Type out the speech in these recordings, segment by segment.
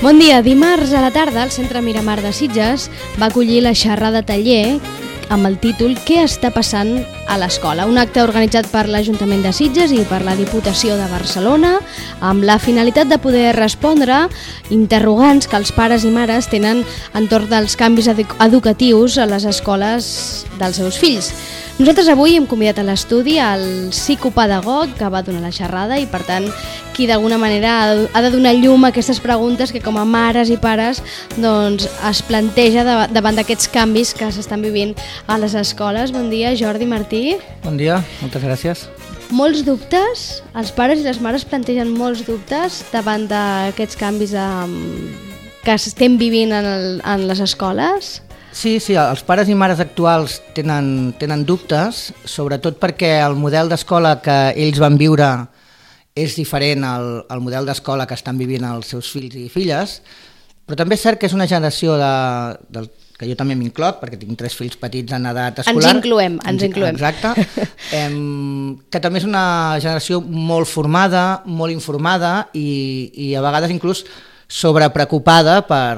Bon dia. Dimarts a la tarda el Centre Miramar de Sitges va acollir la xerrada taller amb el títol Què està passant a l'escola? Un acte organitzat per l'Ajuntament de Sitges i per la Diputació de Barcelona amb la finalitat de poder respondre interrogants que els pares i mares tenen entorn dels canvis educatius a les escoles dels seus fills. Nosaltres avui hem convidat a l'estudi el psicopedagog que va donar la xerrada i, per tant, qui d'alguna manera ha de donar llum a aquestes preguntes que com a mares i pares doncs, es planteja davant d'aquests canvis que s'estan vivint a les escoles. Bon dia, Jordi Martí. Bon dia, moltes gràcies. Molts dubtes? Els pares i les mares plantegen molts dubtes davant d'aquests canvis que estem vivint en les escoles? Sí, els pares i mares actuals tenen dubtes, sobretot perquè el model d'escola que ells van viure és diferent al model d'escola que estan vivint els seus fills i filles, però també és cert que és una generació que jo també m'incloc, perquè tinc 3 fills petits en edat escolar. Ens incloem. Exacte. Que també és una generació molt formada, molt informada i a vegades inclús sobrepreocupada per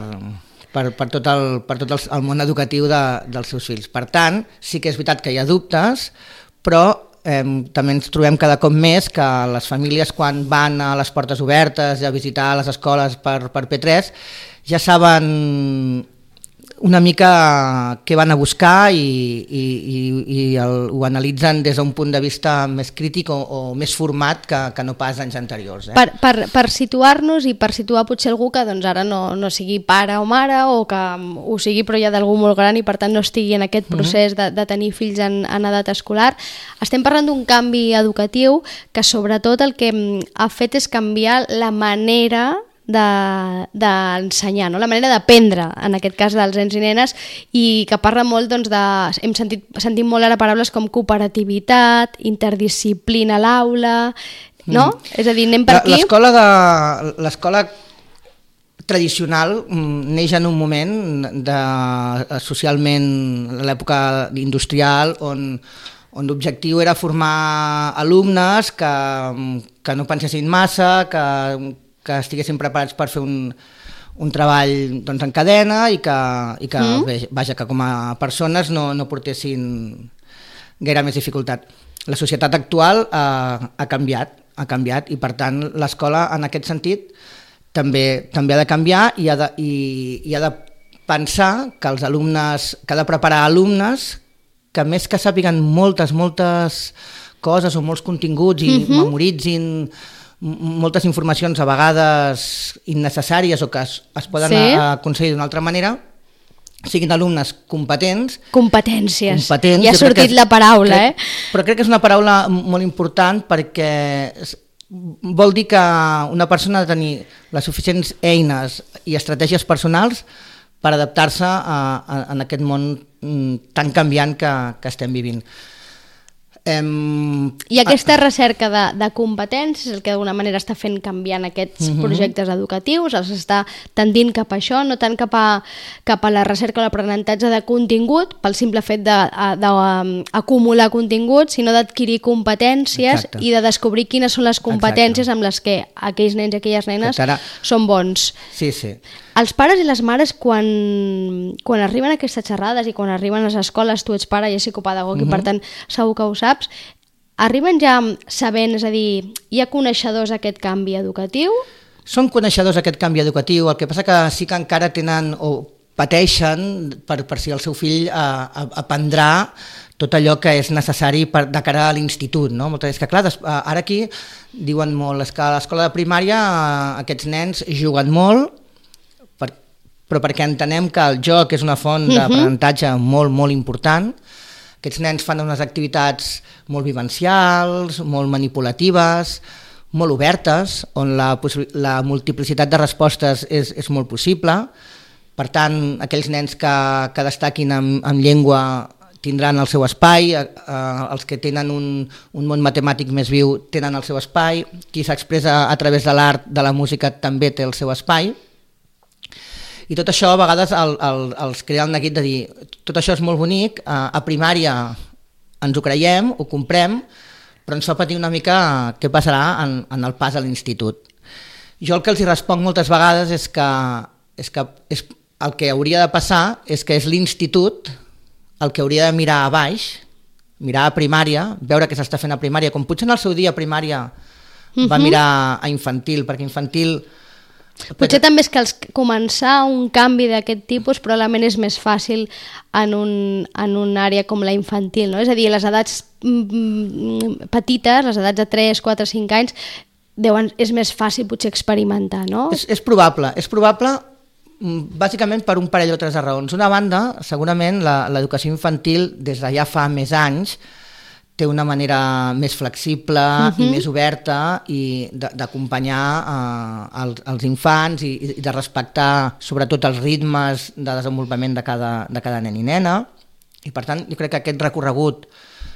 tot el món educatiu dels seus fills. Per tant, sí que és veritat que hi ha dubtes, però també ens trobem cada cop més que les famílies, quan van a les portes obertes a visitar les escoles per P3, ja saben una mica què van a buscar i ho analitzen des d'un punt de vista més crític o més format que no pas anys anteriors. Per situar-nos i per situar potser algú que doncs, ara no sigui pare o mare o que ho sigui però ja d'algú molt gran i per tant no estigui en aquest procés de tenir fills en edat escolar, estem parlant d'un canvi educatiu que sobretot el que ha fet és canviar la manera d'ensenyar, no? La manera d'aprendre, en aquest cas dels nens i nenes, i que parla molt hem sentit molt ara paraules com cooperativitat, interdisciplina a l'aula, no? És a dir, anem per aquí. L'escola tradicional neix en un moment socialment l'època industrial on l'objectiu era formar alumnes que no pensessin massa, que estiguessin preparats per fer un treball en cadena i que com a persones no portessin gaire més dificultat. La societat actual ha canviat i per tant l'escola en aquest sentit també ha de canviar i ha de pensar que els alumnes, que ha de preparar alumnes que més que sàpiguen moltes coses o molts continguts i memoritzin moltes informacions a vegades innecessàries o que es poden aconseguir d'una altra manera, siguin alumnes competents. Competències. Ja ha sortit la paraula, Però crec que és una paraula molt important perquè vol dir que una persona ha de tenir les suficients eines i estratègies personals per adaptar-se en aquest món tan canviant que estem vivint. I aquesta recerca de competències és el que d'alguna manera està fent canviar aquests projectes educatius, els està tendint cap a això, no tant cap a la recerca o l'aprenentatge de contingut, pel simple fet d'acumular contingut, sinó d'adquirir competències. Exacte. I de descobrir quines són les competències amb les que aquells nens i aquelles nenes són bons. Sí. Els pares i les mares, quan arriben a aquestes xerrades i quan arriben a les escoles, tu ets pare i ets psicopedagog i per tant segur que ho saps, arriben ja sabent, és a dir, hi ha coneixedors d'aquest canvi educatiu? Són coneixedors d'aquest canvi educatiu, el que passa que sí que encara tenen o pateixen per si el seu fill aprendrà tot allò que és necessari de cara a l'institut, no? Moltes vegades que, clar, ara aquí diuen molt que a l'escola de primària aquests nens juguen molt, però perquè entenem que el joc és una font d'aprenentatge molt important. Aquests nens fan unes activitats molt vivencials, molt manipulatives, molt obertes, on la multiplicitat de respostes és molt possible. Per tant, aquells nens que destaquin en llengua tindran el seu espai, els que tenen un món matemàtic més viu tenen el seu espai, qui s'expressa a través de l'art, de la música, també té el seu espai. I tot això a vegades els crea el neguit de dir tot això és molt bonic, a primària ens ho creiem, ho comprem, però ens fa patir una mica què passarà en el pas a l'institut. Jo el que els hi responc moltes vegades és que el que hauria de passar és que és l'institut el que hauria de mirar a baix, mirar a primària, veure què s'està fent a primària, com potser en el seu dia a primària va mirar a infantil, perquè infantil... Potser també és que començar un canvi d'aquest tipus probablement és més fàcil en una àrea com la infantil, no? És a dir, les edats petites, les edats de 3, 4, 5 anys, és més fàcil potser experimentar, no? És probable bàsicament per un parell o tres de raons. Una banda, segurament l'educació infantil des de ja fa més anys té una manera més flexible i més oberta i d'acompanyar els infants i de respectar sobretot els ritmes de desenvolupament de cada nen i nena, i per tant jo crec que aquest recorregut,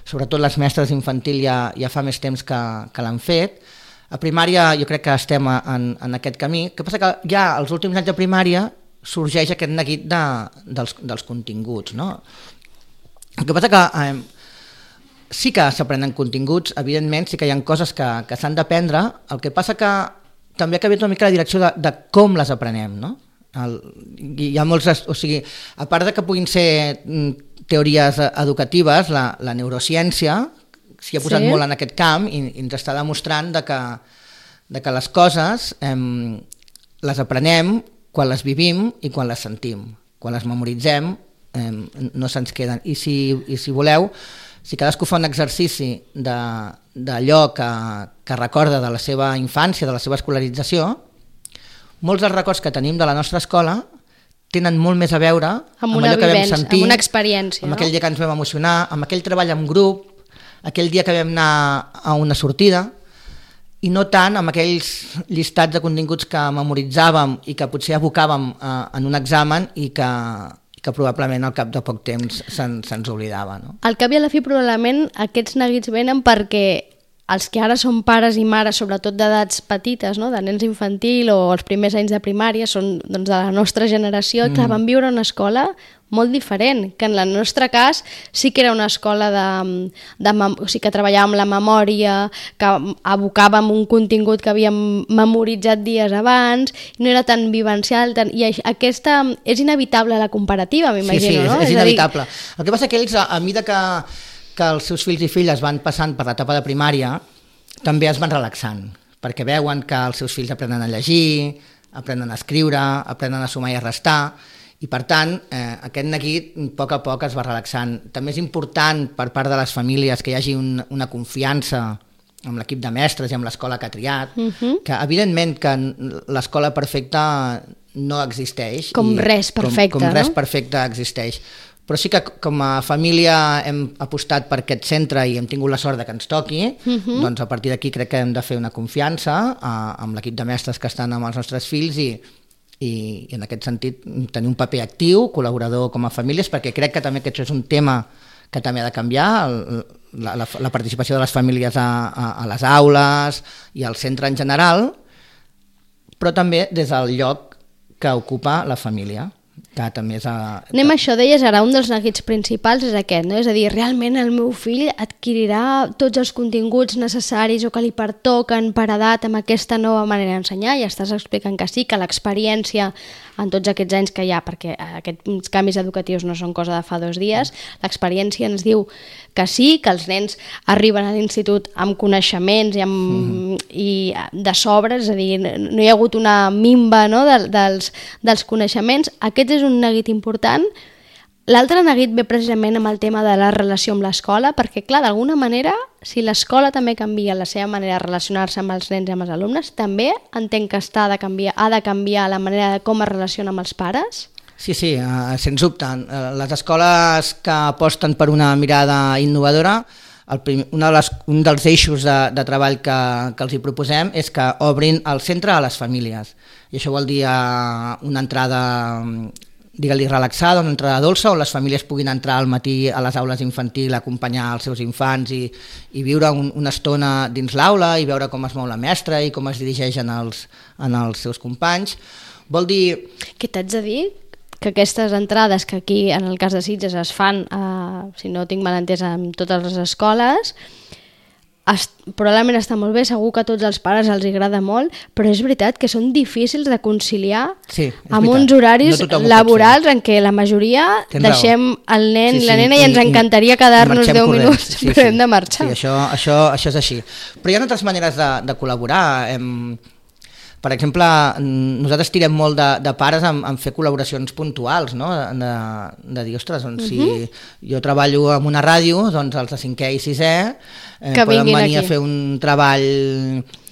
sobretot les mestres d'infantil ja fa més temps que l'han fet. A primària jo crec que estem en aquest camí. El que passa que ja als últims anys de primària sorgeix aquest neguit dels continguts, no? El que passa que sí que s'aprenen continguts, evidentment, sí que hi ha coses que s'han d'aprendre, el que passa que també ha canviat una mica la direcció de com les aprenem, no? Hi ha molts, o sigui, a part de que puguin ser teories educatives, la neurociència s'hi ha posat molt en aquest camp i ens està demostrant de que les coses les aprenem quan les vivim i quan les sentim. Quan les memoritzem no se'ns queden. I si voleu, si cadascú fa un exercici d'allò que recorda de la seva infància, de la seva escolarització, molts dels records que tenim de la nostra escola tenen molt més a veure amb allò que vam sentir, amb una experiència, amb aquell dia que ens vam emocionar, amb aquell treball en grup, aquell dia que vam anar a una sortida, i no tant amb aquells llistats de continguts que memoritzàvem i que potser abocàvem en un examen i que probablement al cap de poc temps se'ns oblidava. No? Al cap i a la fi probablement aquests neguits venen perquè els que ara són pares i mares, sobretot d'edats petites, no? De nens infantil o els primers anys de primària, són doncs, de la nostra generació, que van viure una escola molt diferent, que en el nostre cas sí que era una escola o sigui, que treballàvem la memòria, que abocàvem un contingut que havíem memoritzat dies abans, no era tan vivencial, i aquesta és inevitable la comparativa, m'imagino, no? És inevitable. El que passa que ells, a mesura que els seus fills i filles van passant per l'etapa de primària, també es van relaxant, perquè veuen que els seus fills aprenen a llegir, aprenen a escriure, aprenen a sumar i a restar, i per tant aquest neguit a poc es va relaxant. També és important per part de les famílies que hi hagi una confiança amb l'equip de mestres i amb l'escola que ha triat, que evidentment que l'escola perfecta no existeix. Com res perfecte, com res perfecte existeix. Però sí que com a família hem apostat per aquest centre i hem tingut la sort que ens toqui, doncs a partir d'aquí crec que hem de fer una confiança amb l'equip de mestres que estan amb els nostres fills i en aquest sentit tenir un paper actiu, col·laborador com a famílies, perquè crec que també aquest és un tema que també ha de canviar, la participació de les famílies a les aules i al centre en general, però també des del lloc que ocupa la família. Que també és Anem a això, deies ara, un dels neguits principals és aquest, no? És a dir, realment el meu fill adquirirà tots els continguts necessaris o que li pertoquen per edat amb aquesta nova manera d'ensenyar, i estàs explicant que sí, que l'experiència en tots aquests anys que hi ha, perquè aquests canvis educatius no són cosa de fa 2 dies, l'experiència ens diu que sí, que els nens arriben a l'institut amb coneixements i de sobres, és a dir, no hi ha hagut una minva, no, dels coneixements. Aquest és un neguit important. L'altre neguit ve precisament amb el tema de la relació amb l'escola, perquè clar, d'alguna manera, si l'escola també canvia la seva manera de relacionar-se amb els nens i amb els alumnes, també entenc que ha de canviar la manera de com es relaciona amb els pares? Sí, sens dubte. Les escoles que aposten per una mirada innovadora, un dels eixos de treball que els hi proposem és que obrin el centre a les famílies. I això vol dir una entrada, digue-li, relaxada, una entrada dolça, on les famílies puguin entrar al matí a les aules infantil, acompanyar els seus infants i viure una estona dins l'aula i veure com es mou la mestra i com es dirigeixen els seus companys. Vol dir... Què t'haig de dir? Que aquestes entrades que aquí, en el cas de Sitges, es fan, si no tinc mal entès, en totes les escoles, probablement està molt bé, segur que a tots els pares els agrada molt, però és veritat que són difícils de conciliar amb uns horaris laborals en què la majoria deixem el nen i la nena i ens encantaria quedar-nos 10 minuts, però hem de marxar. Sí, això és així. Però hi ha altres maneres de col·laborar. Per exemple, nosaltres tirem molt de pares en fer col·laboracions puntuals, no? De dir, ostres, doncs, si jo treballo en una ràdio, doncs els de 5è i 6è poden venir a fer un treball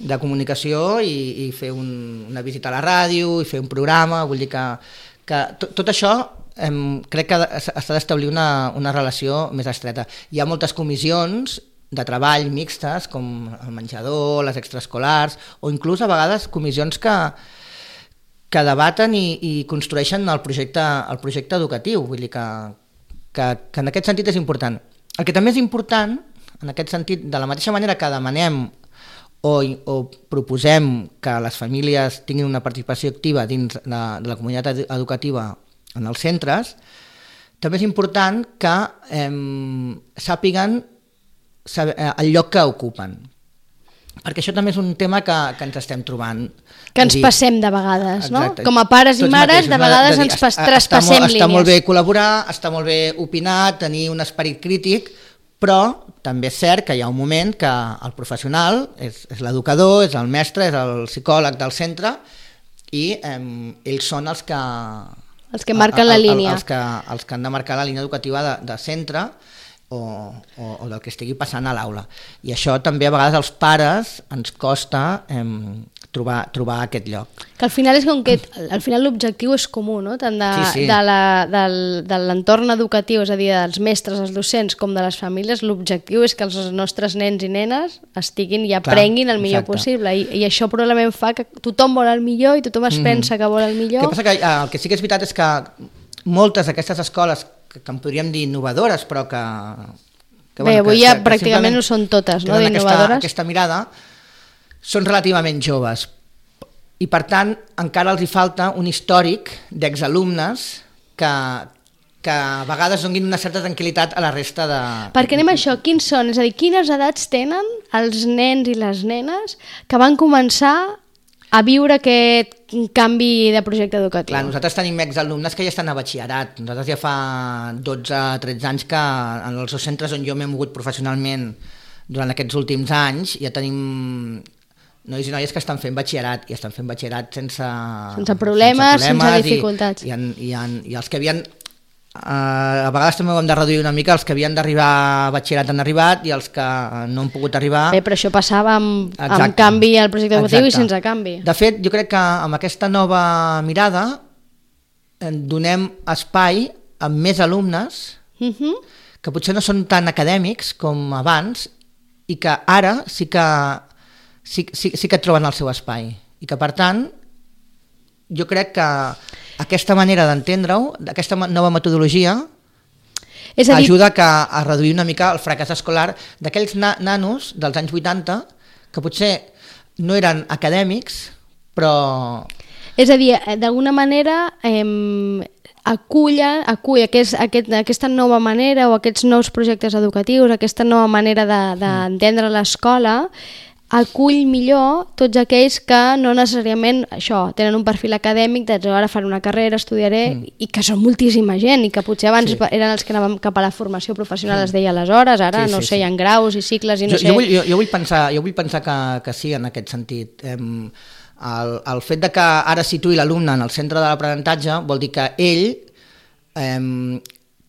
de comunicació i fer una visita a la ràdio i fer un programa. Vull dir que tot això crec que s'ha d'establir una relació més estreta. Hi ha moltes comissions de treball mixtes, com el menjador, les extraescolars, o inclús a vegades comissions que debaten i construeixen el projecte educatiu. Vull dir que en aquest sentit és important. El que també és important, en aquest sentit, de la mateixa manera que demanem o proposem que les famílies tinguin una participació activa dins de la comunitat educativa en els centres, també és important que sàpiguen el lloc que ocupen, perquè això també és un tema que ens estem trobant, que ens passem de vegades, no? Com a pares i mares de vegades ens traspassem línies. Està molt bé col·laborar, està molt bé opinar, tenir un esperit crític, però també és cert que hi ha un moment que el professional és l'educador, és el mestre, és el psicòleg del centre i ells són els que marquen la línia, els que han de marcar la línia educativa de centre o del que estigui passant a l'aula. I això també a vegades als pares ens costa trobar aquest lloc. Que al final és com que al final l'objectiu és comú, no? Tant de l'entorn educatiu, és a dir, dels mestres, els docents, com de les famílies, l'objectiu és que els nostres nens i nenes estiguin i aprenguin el millor possible. I això probablement fa que tothom vol el millor i tothom es pensa que vol el millor. El que passa que el que sí que és veritat és que moltes d'aquestes escoles que en podríem dir innovadores, però que avui ja pràcticament ho són totes, no? D'innovadores. Aquesta mirada, són relativament joves i per tant encara els hi falta un històric d'exalumnes que a vegades donin una certa tranquil·litat a la resta de... Perquè anem a això, quins són? És a dir, quines edats tenen els nens i les nenes que van començar a viure aquest canvi de projecte educatiu? Clar, nosaltres tenim exalumnes que ja estan a batxillerat. Nosaltres ja fa 12-13 anys que en els dos centres on jo m'he mogut professionalment durant aquests últims anys ja tenim nois i noies que estan fent batxillerat i estan fent batxillerat sense problemes, sense dificultats. I els que havien... a vegades també ho hem de reduir una mica, els que havien d'arribar a batxillerat han arribat i els que no han pogut arribar... Bé, però això passava amb canvi al projecte educatiu i sense canvi. De fet, jo crec que amb aquesta nova mirada donem espai a més alumnes que potser no són tan acadèmics com abans i que ara sí que troben el seu espai i que per tant jo crec que aquesta manera d'entendre-ho, aquesta nova metodologia ajuda a reduir una mica el fracàs escolar d'aquells nanos dels anys 80 que potser no eren acadèmics però... És a dir, d'alguna manera acull aquesta nova manera o aquests nous projectes educatius, aquesta nova manera d'entendre l'escola, acull millor tots aquells que no necessàriament tenen un perfil acadèmic de ara faré una carrera, estudiaré, i que són moltíssima gent i que potser abans eren els que anàvem cap a la formació professional, es deia aleshores, ara no sé, hi ha graus i cicles i no sé... Jo vull pensar que sí en aquest sentit. El fet de que ara situï l'alumne en el centre de l'aprenentatge vol dir que ell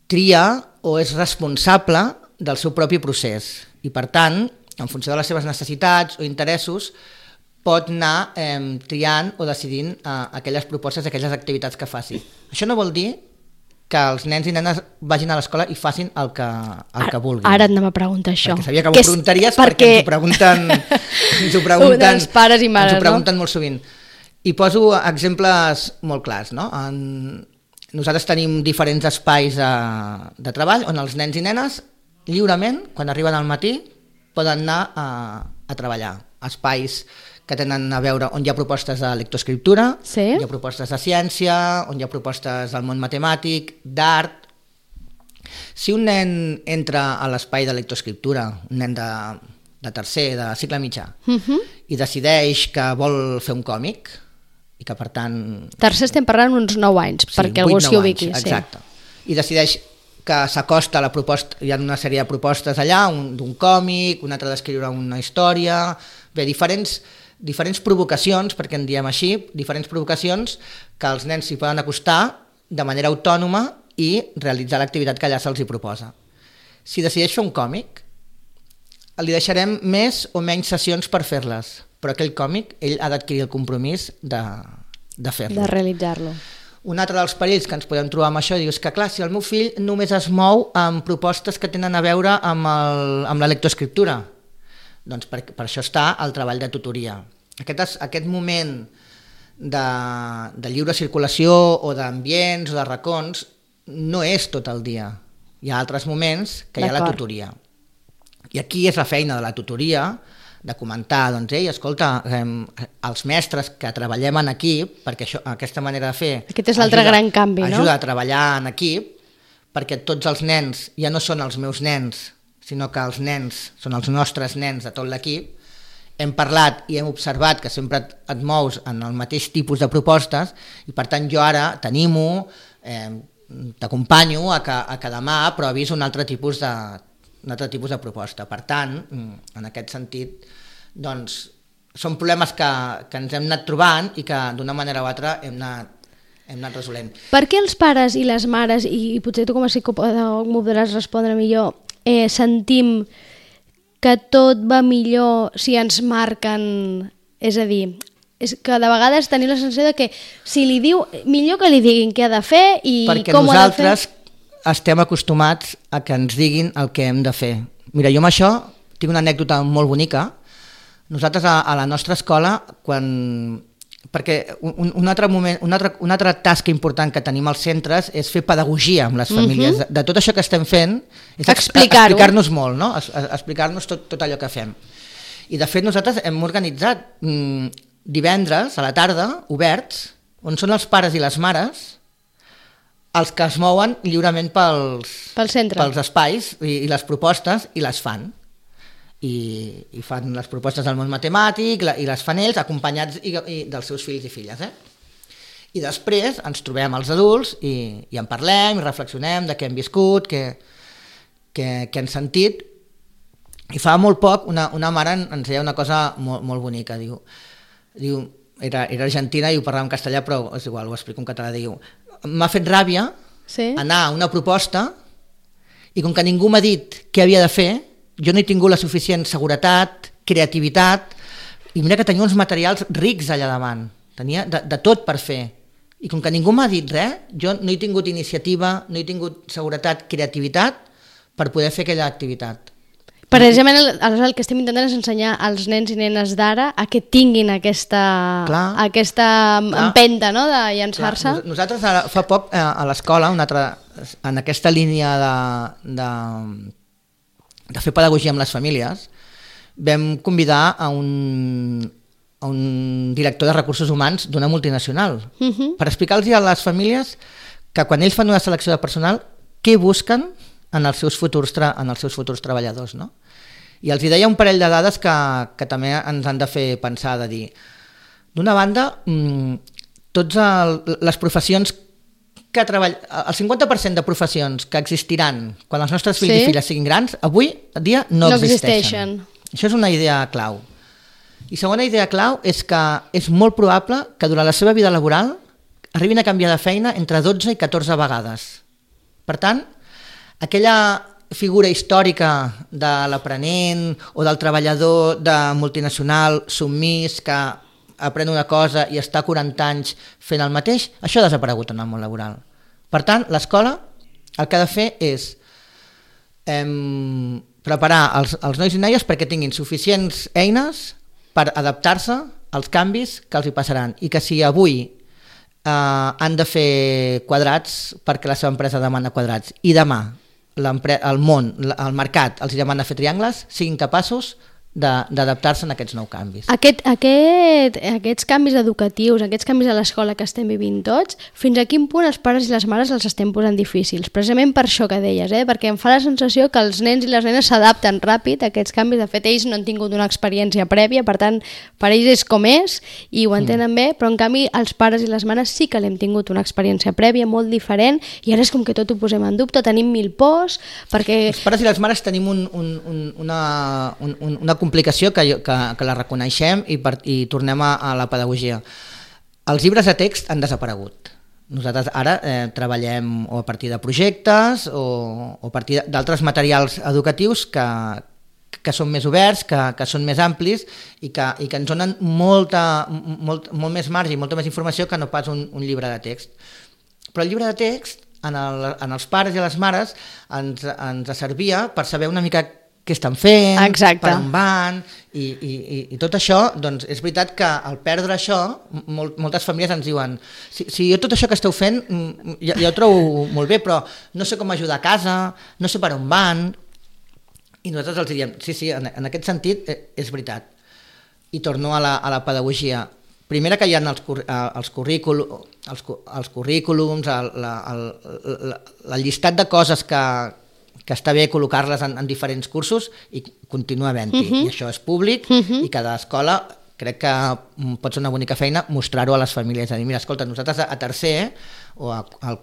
tria o és responsable del seu propi procés i per tant en funció de les seves necessitats o interessos, pot anar triant o decidint aquelles propostes, aquelles activitats que faci. Això no vol dir que els nens i nenes vagin a l'escola i facin el que vulguin. Ara et anava a preguntar això. Perquè sabia que m'ho preguntaries perquè ens ho pregunten els pares i mares, ens ho pregunten molt sovint. I poso exemples molt clars, no? Nosaltres tenim diferents espais de treball on els nens i nenes lliurement, quan arriben al matí, poden anar a treballar. Espais que tenen a veure on hi ha propostes de lectoescriptura, hi ha propostes de ciència, on hi ha propostes del món matemàtic, d'art. Si un nen entra a l'espai de lectoescriptura, un nen de de tercer, de cicle mitjà, i decideix que vol fer un còmic, i que per tant... Tercer estem parlant uns 9 anys, sí, perquè algú s'hi ubiqui. Exacte. I decideix que s'acosta a la proposta, hi ha una sèrie de propostes allà, d'un còmic, un altre d'escriure una història, bé, diferents provocacions, perquè en diem així, diferents provocacions que els nens s'hi poden acostar de manera autònoma i realitzar l'activitat que allà se'ls hi proposa. Si decideix fer un còmic, li deixarem més o menys sessions per fer-les, però aquell còmic ell ha d'adquirir el compromís de fer-lo. De realitzar-lo. Un altre dels perills que ens podem trobar amb això és que, clar, si el meu fill només es mou amb propostes que tenen a veure amb la lectoescriptura, doncs per això està el treball de tutoria. Aquest moment de lliure circulació o d'ambients o de racons no és tot el dia. Hi ha altres moments que hi ha la tutoria. I aquí és la feina de la tutoria, de comentar, doncs, escolta, els mestres que treballem en equip, perquè aquesta manera de fer... Aquest és l'altre gran canvi, no? Ajuda a treballar en equip, perquè tots els nens ja no són els meus nens, sinó que els nens són els nostres nens de tot l'equip. Hem parlat i hem observat que sempre et mous en el mateix tipus de propostes i per tant jo ara t'animo, t'acompanyo a que demà provis un altre tipus de proposta. Per tant, en aquest sentit, doncs, són problemes que ens hem anat trobant i que d'una manera o altra hem anat resolent. Per què els pares i les mares, i potser tu com a psicopedagog m'ho podràs respondre millor, sentim que tot va millor si ens marquen, és a dir, és que de vegades tenim la sensació de que si li diu, millor que li diguin què ha de fer i perquè com ho ha de fer. Perquè nosaltres estem acostumats a que ens diguin el que hem de fer. Mira, jo amb això tinc una anècdota molt bonica. Nosaltres a la nostra escola, perquè un altre tasca important que tenim als centres és fer pedagogia amb les famílies. De tot això que estem fent és explicar-nos molt, no? Explicar-nos tot allò que fem. I de fet nosaltres hem organitzat divendres a la tarda, oberts, on són els pares i les mares els que es mouen lliurement pels espais i les propostes i les fan. I fan les propostes del món matemàtic i les fan ells acompanyats dels seus fills i filles. I després ens trobem els adults i en parlem i reflexionem de què hem viscut, què hem sentit. I fa molt poc una mare ens deia una cosa molt, molt bonica. Diu, era argentina i ho parlava en castellà, però és igual, ho explico en català. Diu, m'ha fet ràbia anar a una proposta i com que ningú m'ha dit què havia de fer, jo no he tingut la suficient seguretat, creativitat, i mira que tenia uns materials rics allà davant, tenia de tot per fer. I com que ningú m'ha dit res, jo no he tingut iniciativa, no he tingut seguretat, creativitat per poder fer aquella activitat. Precisament el que estem intentant és ensenyar als nens i nenes d'ara a que tinguin aquesta empenta, no?, de llançar-se. Nosaltres ara, fa poc a l'escola, en aquesta línia de fer pedagogia amb les famílies, vam convidar a un director de recursos humans d'una multinacional per explicar-los a les famílies que quan ells fan una selecció de personal, què busquen en els seus futurs treballadors, no? I els deia un parell de dades que també ens han de fer pensar, de dir, d'una banda, totes les professions que treballen, el 50% de professions que existiran quan els nostres fills i filles siguin grans, avui dia no existeixen. Això és una idea clau. I segona idea clau és que és molt probable que durant la seva vida laboral arribin a canviar de feina entre 12 i 14 vegades. Per tant, aquella figura històrica de l'aprenent o del treballador de multinacional submís que aprèn una cosa i està 40 anys fent el mateix, això ha desaparegut en el món laboral. Per tant, l'escola el que ha de fer és preparar els nois i noies perquè tinguin suficients eines per adaptar-se als canvis que els hi passaran i que si avui han de fer quadrats perquè la seva empresa demana quadrats i demà el món, el mercat els demana fer triangles, siguin capaços d'adaptar-se a aquests nous canvis. Aquests canvis educatius, aquests canvis a l'escola que estem vivint tots, fins a quin punt els pares i les mares els estem posant difícils? Precisament per això que deies, perquè em fa la sensació que els nens i les nenes s'adapten ràpid a aquests canvis. De fet, ells no han tingut una experiència prèvia, per tant, per ells és com és i ho entenen bé, però en canvi els pares i les mares sí que l'hem tingut una experiència prèvia molt diferent i ara és com que tot ho posem en dubte, tenim mil pors, perquè... Els pares i les mares tenim una complicació que la reconeixem i tornem a la pedagogia. Els llibres de text han desaparegut. Nosaltres ara treballem o a partir de projectes o a partir d'altres materials educatius que són més oberts, que són més amplis i que ens donen molt més marge i molta més informació que no pas un llibre de text. Però el llibre de text en els pares i les mares ens servia per saber una mica què estan fent, exacte, per on van i tot això, doncs és veritat que al perdre això moltes famílies ens diuen si jo tot això que esteu fent ja ho trobo molt bé, però no sé com ajudar a casa, no sé per on van, i nosaltres els diríem sí, en aquest sentit és veritat. I torno a la pedagogia. Primera, que hi ha els currículums, el llistat de coses que està bé col·locar-les en diferents cursos i continua havent-hi. I això és públic i cada escola crec que pot ser una bonica feina mostrar-ho a les famílies. És a dir, mira, escolta, nosaltres a tercer o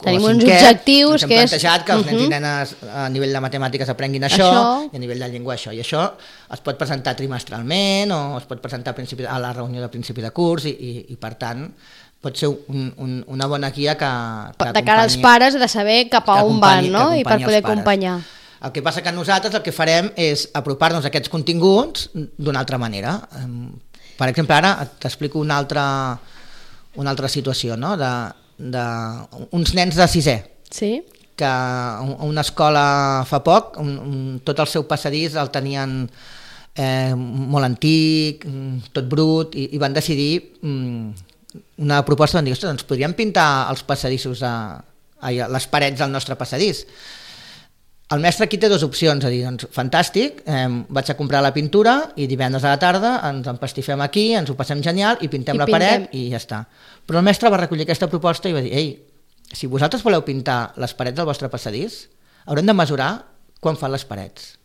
tenim uns objectius ens hem plantejat que els nens i nenes a nivell de matemàtiques aprenguin això i a nivell de llengua això. I això es pot presentar trimestralment o es pot presentar a la reunió de principi de curs i per tant pot ser una bona guia que de cara als pares de saber cap a on van, no? I per poder acompanyar. El que passa que nosaltres el que farem és apropar-nos a aquests continguts d'una altra manera. Per exemple, ara t'explico una altra situació, no? Uns nens de sisè, que a una escola fa poc, tot el seu passadís el tenien molt antic, tot brut, i van decidir una proposta, van dir, ostres, doncs podríem pintar els passadissos, les parets del nostre passadís. El mestre aquí té dues opcions, a dir, doncs fantàstic, vaig a comprar la pintura i divendres a la tarda ens empastifem aquí, ens ho passem genial i pintem la paret i ja està. Però el mestre va recollir aquesta proposta i va dir, ei, si vosaltres voleu pintar les parets del vostre passadís, haurem de mesurar quan fan les parets.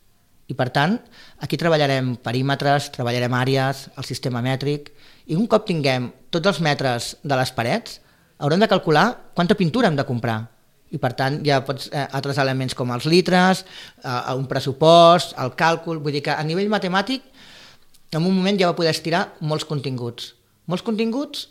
I per tant, aquí treballarem perímetres, treballarem àrees, el sistema mètric, i un cop tinguem tots els metres de les parets, haurem de calcular quanta pintura hem de comprar. I per tant hi ha altres elements com els litres, un pressupost, el càlcul, vull dir que a nivell matemàtic en un moment ja va poder estirar molts continguts. Molts continguts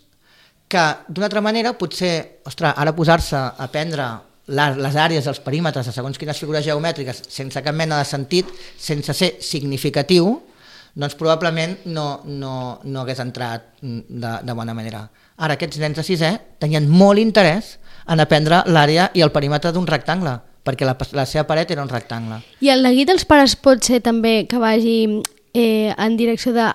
que d'una altra manera potser, ostres, ara posar-se a aprendre les àrees dels perímetres de segons quines figures geomètriques sense cap mena de sentit, sense ser significatiu, doncs probablement no hagués entrat de bona manera. Ara aquests nens de sisè tenien molt interès en aprendre l'àrea i el perímetre d'un rectangle, perquè la seva paret era un rectangle. I el neguit dels pares pot ser també que vagi en direcció de...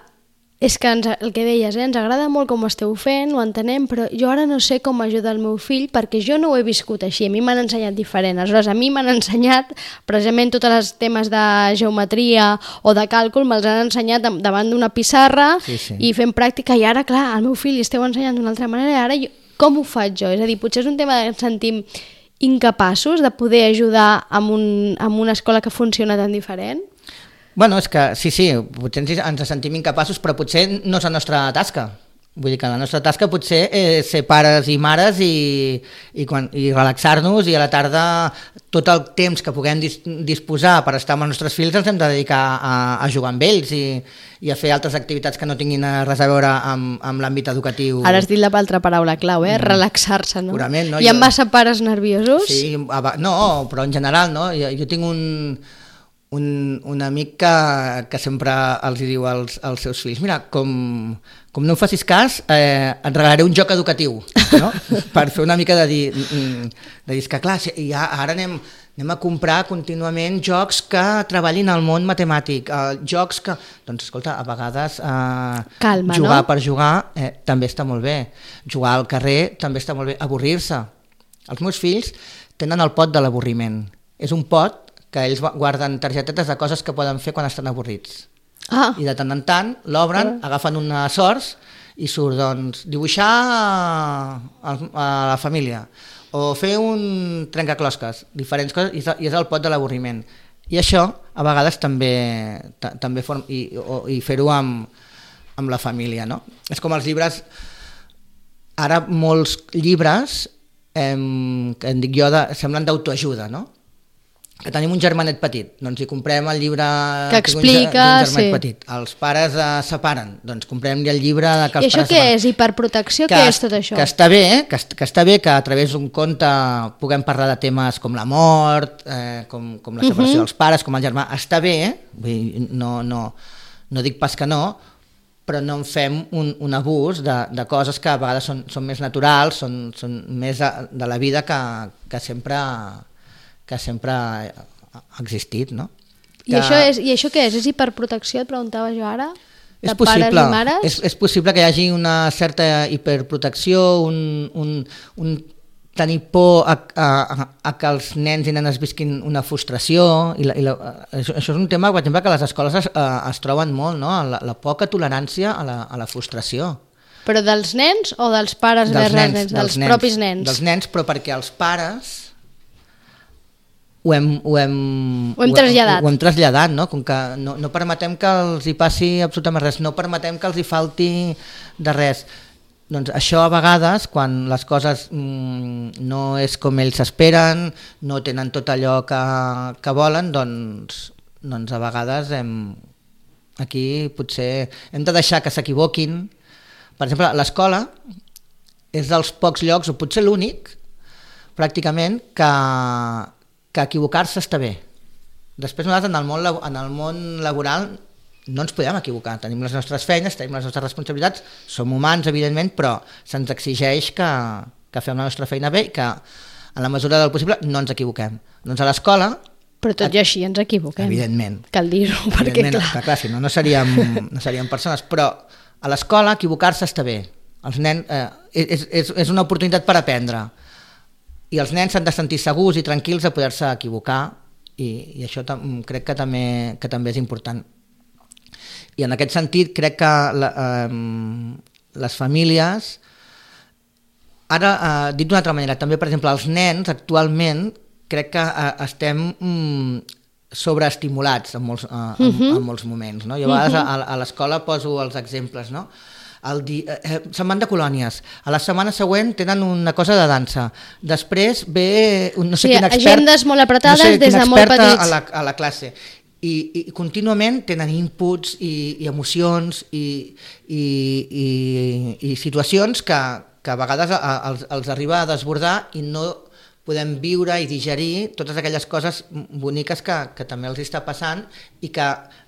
És que el que deies, ens agrada molt com ho esteu fent, ho entenem, però jo ara no sé com ajudar el meu fill perquè jo no ho he viscut així, a mi m'han ensenyat diferent. Aleshores, a mi m'han ensenyat precisament tots els temes de geometria o de càlcul, me'ls han ensenyat davant d'una pissarra i fent pràctica, i ara, clar, al meu fill li esteu ensenyant d'una altra manera, i ara com ho faig jo? És a dir, potser és un tema que ens sentim incapaços de poder ajudar amb una escola que funciona tan diferent? Bueno, és que sí, potser ens sentim incapaços, però potser no és la nostra tasca. Vull dir que la nostra tasca potser és ser pares i mares i relaxar-nos, i a la tarda tot el temps que puguem disposar per estar amb els nostres fills els hem de dedicar a jugar amb ells i a fer altres activitats que no tinguin res a veure amb l'àmbit educatiu. Ara has dit l'altra paraula clau, relaxar-se, no? Purament, no? Hi ha massa pares nerviosos? Sí, no, però en general, no? Jo tinc un amic que sempre els diu als seus fills, mira, com no em facis cas, et regalaré un joc educatiu, no? Per fer una mica de dir que clar, ara anem a comprar contínuament jocs que treballin al món matemàtic, jocs que... Doncs escolta, a vegades calma, jugar, no? Per jugar també està molt bé, jugar al carrer també està molt bé, avorrir-se. Els meus fills tenen el pot de l'avorriment, és un pot que ells guarden targetetes de coses que poden fer quan estan avorrits. I de tant en tant l'obren, agafen una sorts i surt, doncs, dibuixar a la família o fer un trencaclosques, diferents coses, i és el pot de l'avorriment. I això, a vegades, també i fer-ho amb la família, no? És com els llibres. Ara molts llibres, que en dic jo, semblen d'autoajuda, no? Que tenim un germanet petit, doncs hi comprem el llibre que explica, d'un germanet petit. Els pares es separen, doncs comprem-li el llibre que els pares I això què és? Hiperprotecció? Què és tot això? Que està bé, que a través d'un conte puguem parlar de temes com la mort, com la separació dels pares, com el germà. Està bé, no dic pas que no, però no en fem un abús de coses que a vegades són més naturals, són més de la vida que sempre ha existit, no? I això què és? És hiperprotecció, et preguntava jo ara? És possible, és possible que hi hagi una certa hiperprotecció, un tenir por a que els nens i nenes visquin una frustració. Això és un tema, per exemple, que a les escoles es troben molt, no? La poca tolerància a la frustració. Però dels nens o dels pares vers els nens? Dels propis nens? Dels nens, però perquè els pares ho hem traslladat, no? Com que no permetem que els hi passi absolutament res, no permetem que els hi falti de res. Doncs això a vegades, quan les coses no és com ells esperen, no tenen tot allò que volen, doncs a vegades aquí potser hem de deixar que s'equivoquin. Per exemple, l'escola és dels pocs llocs, o potser l'únic, pràcticament, que equivocar-se està bé. Després nosaltres en el món laboral no ens podem equivocar, tenim les nostres feines, tenim les nostres responsabilitats, som humans evidentment, però se'ns exigeix que fem la nostra feina bé i que en la mesura del possible no ens equivoquem. Doncs a l'escola... Però tot i així ens equivoquem. Evidentment. Cal dir-ho, perquè clar... Si no seríem persones, però a l'escola equivocar-se està bé. Els nens, és una oportunitat per aprendre. I els nens s'han de sentir segurs i tranquils a poder-se equivocar i això crec que també és important. I en aquest sentit crec que les famílies, ara dit d'una altra manera, també per exemple els nens actualment crec que estem sobreestimulats en molts moments, no? Jo a vegades a l'escola poso els exemples, no? Se'n van de colònies, a la setmana següent tenen una cosa de dansa, després ve no sé quin expert, agendes molt apretades des de molt petits a la classe i contínuament tenen inputs i emocions i situacions que a vegades els arriba a desbordar i no podem viure i digerir totes aquelles coses boniques que també els està passant i que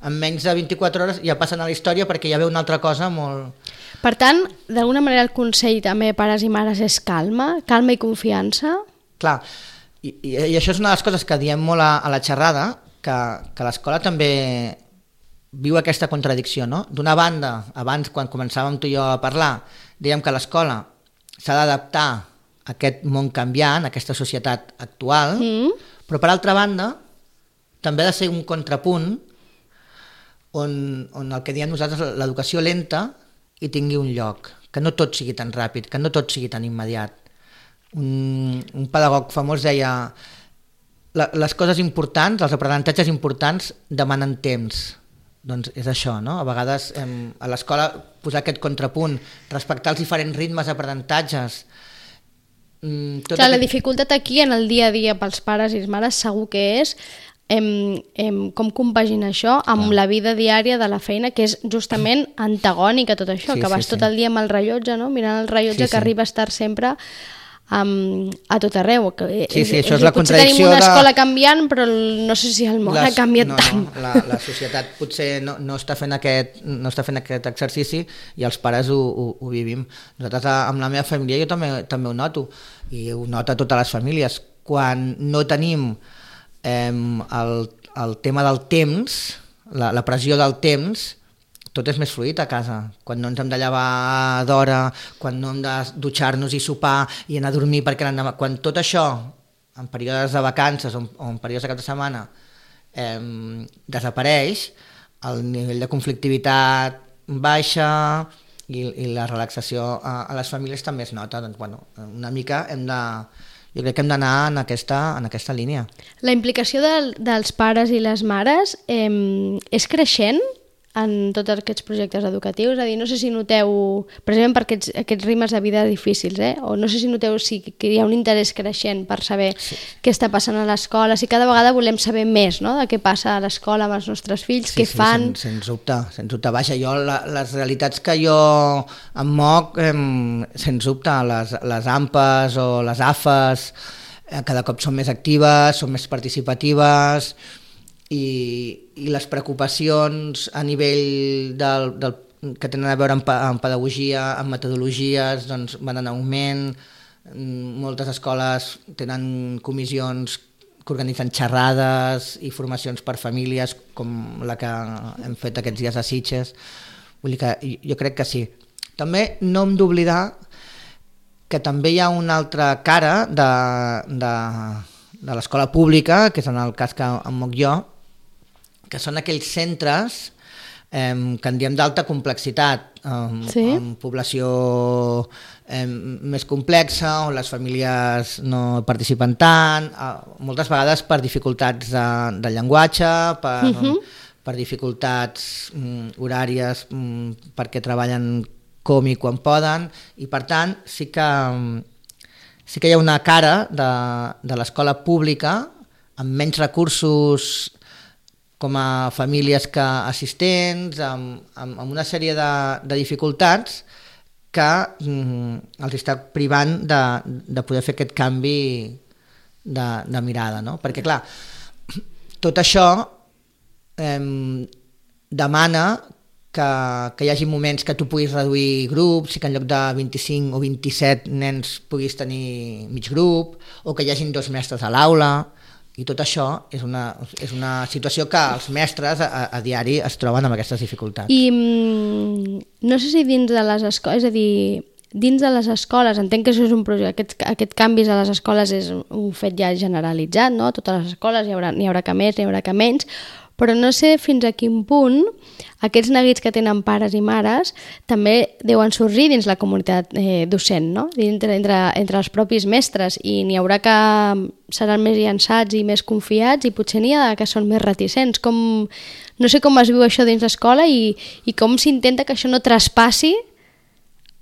en menys de 24 hores ja passen a la història perquè ja ve una altra cosa molt... Per tant, d'alguna manera el consell també pares i mares és calma i confiança? Clar, i això és una de les coses que diem molt a la xerrada, que l'escola també viu aquesta contradicció, no? D'una banda, abans quan començàvem tu i jo a parlar, dèiem que l'escola s'ha d'adaptar a aquest món canviant, a aquesta societat actual, però per altra banda també ha de ser un contrapunt on el que diem nosaltres l'educació lenta i tingui un lloc, que no tot sigui tan ràpid, que no tot sigui tan immediat. Un pedagog famós deia les coses importants, els aprenentatges importants demanen temps. Doncs és això, no? A vegades a l'escola posar aquest contrapunt, respectar els diferents ritmes d'aprenentatges. Clar, la dificultat aquí en el dia a dia pels pares i les mares segur que és com compaginar això amb la vida diària de la feina, que és justament antagònica a tot això, que vas tot el dia amb el rellotge, no? Mirant el rellotge que arriba a estar sempre a tot arreu. Això és la contradicció. Potser tenim una escola canviant, però no sé si el món ha canviat tant. La societat potser no està fent aquest exercici i els pares ho vivim. Nosaltres amb la meva família jo també ho noto, i ho nota totes les famílies. Quan no tenim el tema del temps, la pressió del temps, tot és més fluid a casa. Quan no ens hem de llevar d'hora, quan no hem de dutxar-nos i sopar i anar a dormir perquè l'endemà... Quan tot això, en períodes de vacances o en períodes de cap de setmana, desapareix, el nivell de conflictivitat baixa i la relaxació a les famílies també es nota. Doncs, bueno, una mica jo crec que hem d'anar en aquesta línia. La implicació dels pares i les mares és creixent en tots aquests projectes educatius? És a dir, no sé si noteu, precisament per aquests ritmes de vida difícils, o no sé si noteu que hi ha un interès creixent per saber què està passant a l'escola, si cada vegada volem saber més, no?, de què passa a l'escola amb els nostres fills, què fan... Sens dubte. Vaja, jo les realitats que jo em moc, sens dubte, les AMPAs o les AFAs cada cop són més actives, són més participatives, i les preocupacions a nivell que tenen a veure amb pedagogia, amb metodologies, doncs van en augment. Moltes escoles tenen comissions que organitzen xerrades i formacions per famílies, com la que hem fet aquests dies a Sitges. Vull dir que jo crec que sí. També no hem d'oblidar que també hi ha una altra cara de l'escola pública, que és en el cas que em moc jo, que són aquells centres que en diem d'alta complexitat, amb població més complexa, on les famílies no participen tant, moltes vegades per dificultats de llenguatge, per dificultats horàries, perquè treballen com i quan poden, i per tant sí que hi ha una cara de l'escola pública amb menys recursos com a famílies que assistents, amb una sèrie de dificultats que els està privant de poder fer aquest canvi de mirada, no? Perquè clar, tot això demana que hi hagi moments que tu puguis reduir grups i que en lloc de 25 o 27 nens puguis tenir mig grup, o que hi hagin 2 mestres a l'aula, i tot això és una situació que els mestres a diari es troben amb aquestes dificultats. I no sé si dins de les escoles, és a dir, dins de les escoles, entenc que això és un projecte, aquest canvis a les escoles és un fet ja generalitzat, no? Totes les escoles n'hi haurà que més, n'hi haurà que menys, però no sé fins a quin punt aquests neguits que tenen pares i mares també deuen sorgir dins la comunitat docent, no? Entre els propis mestres, i n'hi haurà que seran més llançats i més confiats, i potser n'hi ha que són més reticents. No sé com es viu això dins l'escola i com s'intenta que això no traspassi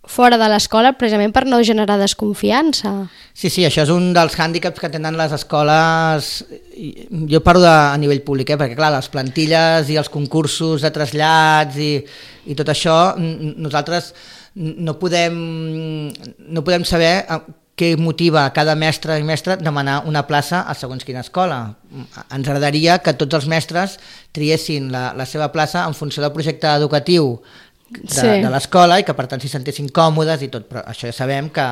fora de l'escola, precisament per no generar desconfiança. Sí, això és un dels hàndicaps que tenen les escoles. Jo parlo a nivell públic, perquè clar, les plantilles i els concursos de trasllats i tot això, nosaltres no podem saber què motiva cada mestre i mestra demanar una plaça a segons quina escola. Ens agradaria que tots els mestres triessin la seva plaça en funció del projecte educatiu de l'escola i que per tant s'hi sentessin còmodes i tot, però això ja sabem que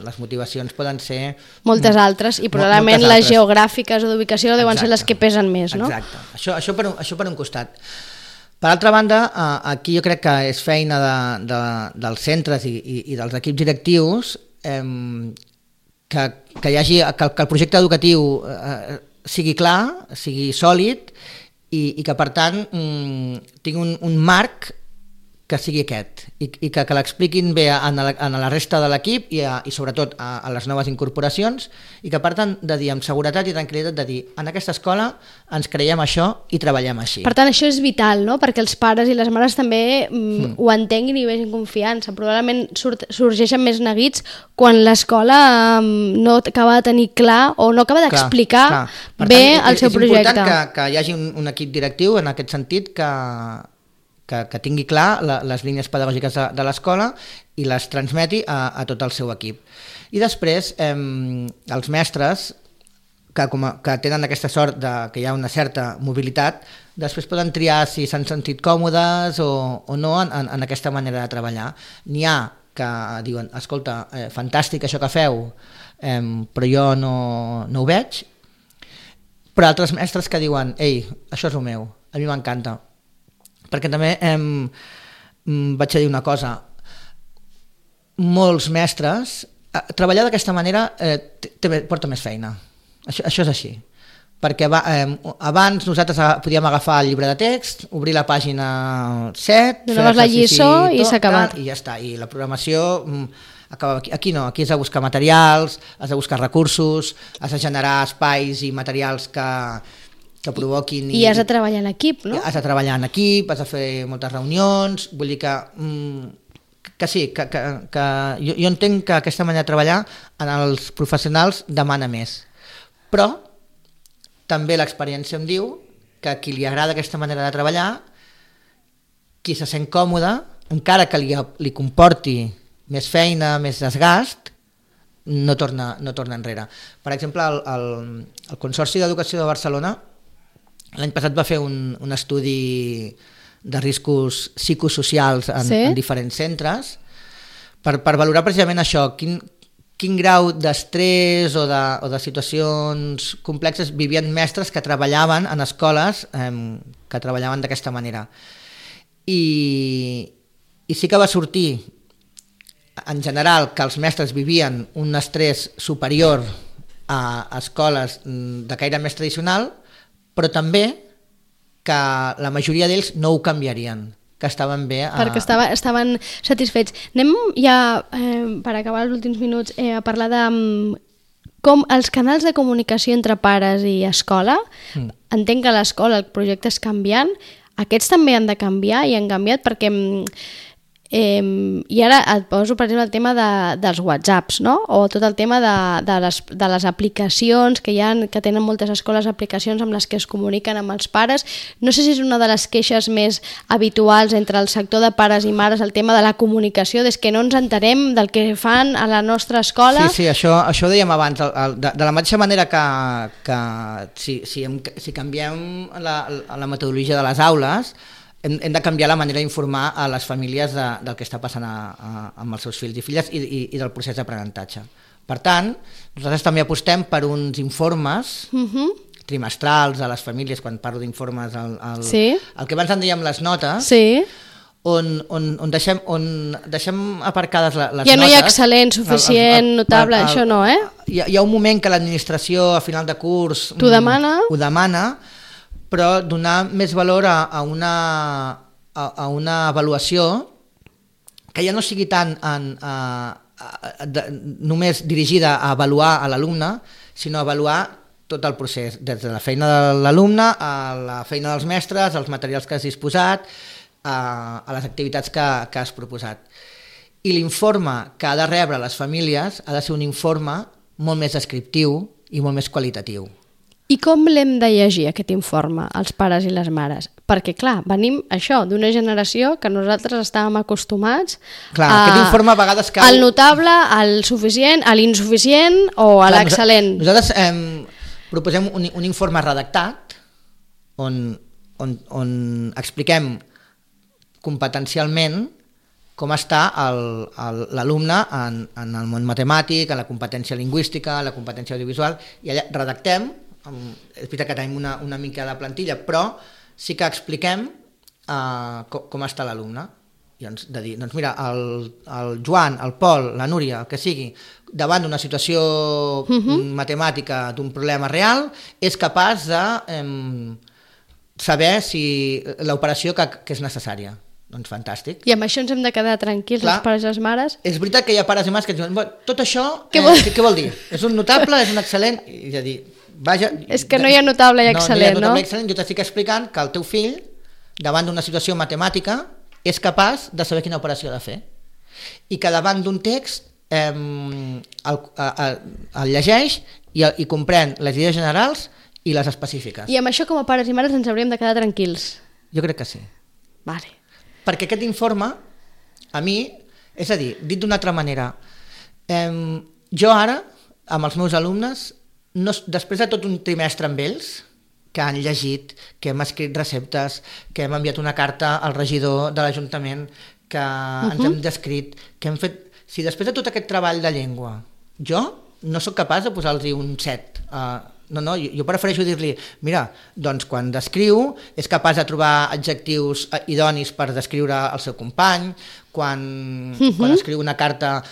les motivacions poden ser moltes altres, i probablement les geogràfiques o d'ubicació deuen ser les que pesen més, no? Exacte, això per un costat. Per altra banda, aquí jo crec que és feina dels centres i dels equips directius que el projecte educatiu sigui clar, sigui sòlid i que per tant tingui un marc que sigui aquest, i que l'expliquin bé a la resta de l'equip i sobretot a les noves incorporacions, i que per tant de dir amb seguretat i tranquil·litat de dir en aquesta escola ens creiem això i treballem així. Per tant això és vital, no? Perquè els pares i les mares també ho entenguin i vegin confiança. Probablement sorgeixen més neguits quan l'escola no acaba de tenir clar o no acaba d'explicar bé el seu projecte. És important que hi hagi un equip directiu en aquest sentit que tingui clar les línies pedagògiques de l'escola i les transmeti a tot el seu equip. I després, els mestres, que tenen aquesta sort que hi ha una certa mobilitat, després poden triar si s'han sentit còmodes o no en aquesta manera de treballar. N'hi ha que diuen, escolta, fantàstic això que feu, però jo no ho veig, però altres mestres que diuen, ei, això és el meu, a mi m'encanta. Perquè també vaig a dir una cosa, molts mestres, treballar d'aquesta manera porta més feina, això és així, perquè abans nosaltres podíem agafar el llibre de text, obrir la pàgina 7, donaves la lliçó i s'ha acabat. I ja està, i la programació acaba aquí. Aquí no, aquí has de buscar materials, has de buscar recursos, has de generar espais i materials que provoquin... I has de treballar en equip, no? Has de treballar en equip, has de fer moltes reunions, vull dir que sí, que jo entenc que aquesta manera de treballar en els professionals demana més, però també l'experiència em diu que a qui li agrada aquesta manera de treballar, qui se sent còmode, encara que li comporti més feina, més desgast, no torna enrere. Per exemple, el Consorci d'Educació de Barcelona l'any passat va fer un estudi de riscos psicosocials en diferents centres per valorar precisament això, quin grau d'estrès o de situacions complexes vivien mestres que treballaven en escoles que treballaven d'aquesta manera. I sí que va sortir, en general, que els mestres vivien un estrès superior a escoles de caire més tradicional, però també que la majoria d'ells no ho canviarien, que estaven bé. Perquè estaven satisfets. Anem ja, per acabar els últims minuts, a parlar de com els canals de comunicació entre pares i escola. Entenc que a l'escola el projecte és canviant, aquests també han de canviar i han canviat perquè... I ara et poso, per exemple, el tema dels whatsapps, no? O tot el tema de les aplicacions que hi ha, que tenen moltes escoles aplicacions amb les que es comuniquen amb els pares. No sé si és una de les queixes més habituals entre el sector de pares i mares, el tema de la comunicació, des que no ens entenem del que fan a la nostra escola. Sí, això dèiem abans, de la mateixa manera que si canviem la metodologia de les aules, hem de canviar la manera d'informar a les famílies del que està passant amb els seus fills i filles i del procés d'aprenentatge. Per tant, nosaltres també apostem per uns informes trimestrals a les famílies, quan parlo d'informes, el que abans en dèiem les notes, on deixem aparcades les notes. Ja no hi ha excel·lent, suficient, notable, això no, eh? Hi ha un moment que l'administració a final de curs ho demana, però donar més valor a una avaluació que ja no sigui tant només dirigida a avaluar a l'alumne, sinó a avaluar tot el procés, des de la feina de l'alumne a la feina dels mestres, als materials que has disposat, a les activitats que has proposat. I l'informe que ha de rebre les famílies ha de ser un informe molt més descriptiu i molt més qualitatiu. I com l'hem de llegir, aquest informe, els pares i les mares? Perquè, clar, venim això, d'una generació que nosaltres estàvem acostumats aquest informe a vegades cau... al notable, al suficient, a l'insuficient o a l'excel·lent. Nosaltres proposem un informe redactat on expliquem competencialment com està l'alumne en el món matemàtic, en la competència lingüística, en la competència audiovisual, i allà redactem. És veritat que tenim una mica de plantilla, però sí que expliquem com està l'alumne. De dir, doncs mira, el Joan, el Pol, la Núria, el que sigui, davant d'una situació matemàtica, d'un problema real, és capaç de saber si l'operació que és necessària. Doncs fantàstic. I amb això ens hem de quedar tranquils, els pares i les mares? És veritat que hi ha pares i mares que diuen, tot això, què vol dir? És un notable, és un excel·lent? I de dir, vaja... És que no hi ha notable i excel·lent, no? Jo t'estic explicant que el teu fill, davant d'una situació matemàtica, és capaç de saber quina operació ha de fer. I que davant d'un text el llegeix i comprèn les idees generals i les específiques. I amb això, com a pares i mares, ens hauríem de quedar tranquils? Jo crec que sí. Vale. Perquè aquest informe, a mi, és a dir, dit d'una altra manera, jo ara, amb els meus alumnes, després de tot un trimestre amb ells, que han llegit, que hem escrit receptes, que hem enviat una carta al regidor de l'Ajuntament, que ens hem descrit, que hem fet... Si després de tot aquest treball de llengua, jo no sóc capaç de posar-los un 7, no, jo prefereixo dir-li, mira, doncs quan descriu és capaç de trobar adjectius idonis per descriure el seu company, quan escriu una carta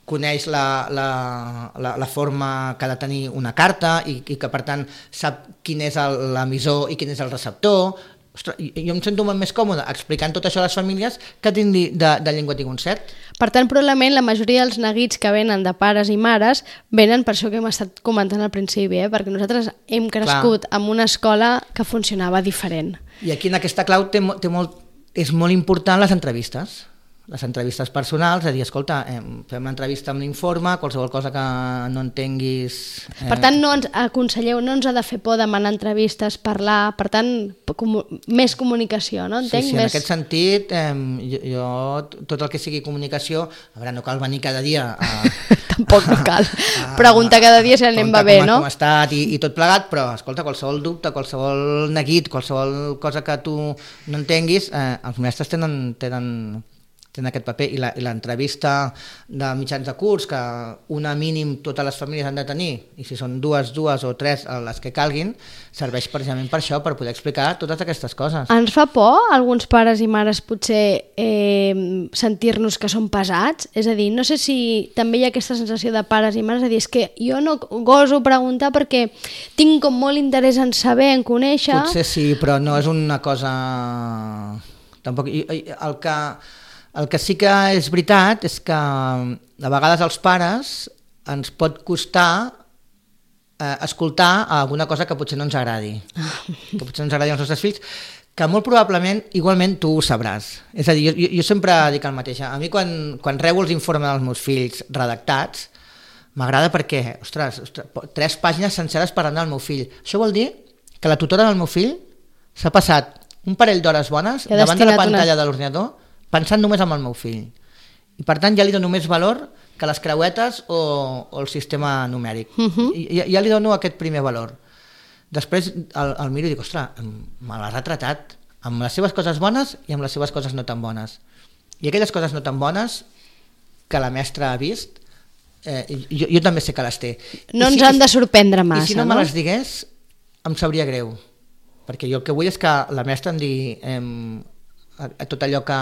coneix la forma que ha de tenir una carta i que per tant sap quin és l'emissor i quin és el receptor. Ostres, jo em sento molt més còmode explicant tot això a les famílies que tindre de llengua tinc un set. Per tant, probablement la majoria dels neguits que venen de pares i mares venen per això que hem estat comentant al principi, perquè nosaltres hem crescut en una escola que funcionava diferent. I aquí en aquesta clau és molt important les entrevistes personals, és a dir, escolta, fem l'entrevista amb l'informe, qualsevol cosa que no entenguis... Per tant, aconselleu, no ens ha de fer por demanar entrevistes, parlar, per tant, més comunicació, no? Sí, en aquest sentit, jo, tot el que sigui comunicació, a veure, no cal venir cada dia a... Tampoc no cal. Preguntar cada dia si anem va bé, no? Com ha estat i tot plegat, però, escolta, qualsevol dubte, qualsevol neguit, qualsevol cosa que tu no entenguis, els mestres tenen aquest paper i l'entrevista de mitjans de curs que una mínim totes les famílies han de tenir i si són dues o tres les que calguin serveix precisament per això, per poder explicar totes aquestes coses. Ens fa por alguns pares i mares potser sentir-nos que són pesats? És a dir, no sé si també hi ha aquesta sensació de pares i mares, és a dir, és que jo no goso preguntar perquè tinc com molt interès en saber, en conèixer... Potser sí, però no és una cosa... Tampoc... El que sí que és veritat és que a vegades als pares ens pot costar escoltar alguna cosa que potser no ens agradi, que potser no ens agradi als nostres fills, que molt probablement igualment tu ho sabràs. És a dir, jo sempre dic el mateix. A mi quan rebo els informes dels meus fills redactats m'agrada perquè, ostres, 3 pàgines senceres parlant del meu fill. Això vol dir que la tutora del meu fill s'ha passat un parell d'hores bones davant de la pantalla de l'ordinador pensant només en el meu fill. I per tant ja li dono més valor que les creuetes o el sistema numèric. Ja li dono aquest primer valor. Després el miro i dic, ostres, me l'ha retratat amb les seves coses bones i amb les seves coses no tan bones. I aquelles coses no tan bones que la mestra ha vist, jo també sé que les té. No ens han de sorprendre massa, no? I si no me les digués, em sabria greu. Perquè jo el que vull és que la mestra em digui... tot allò que...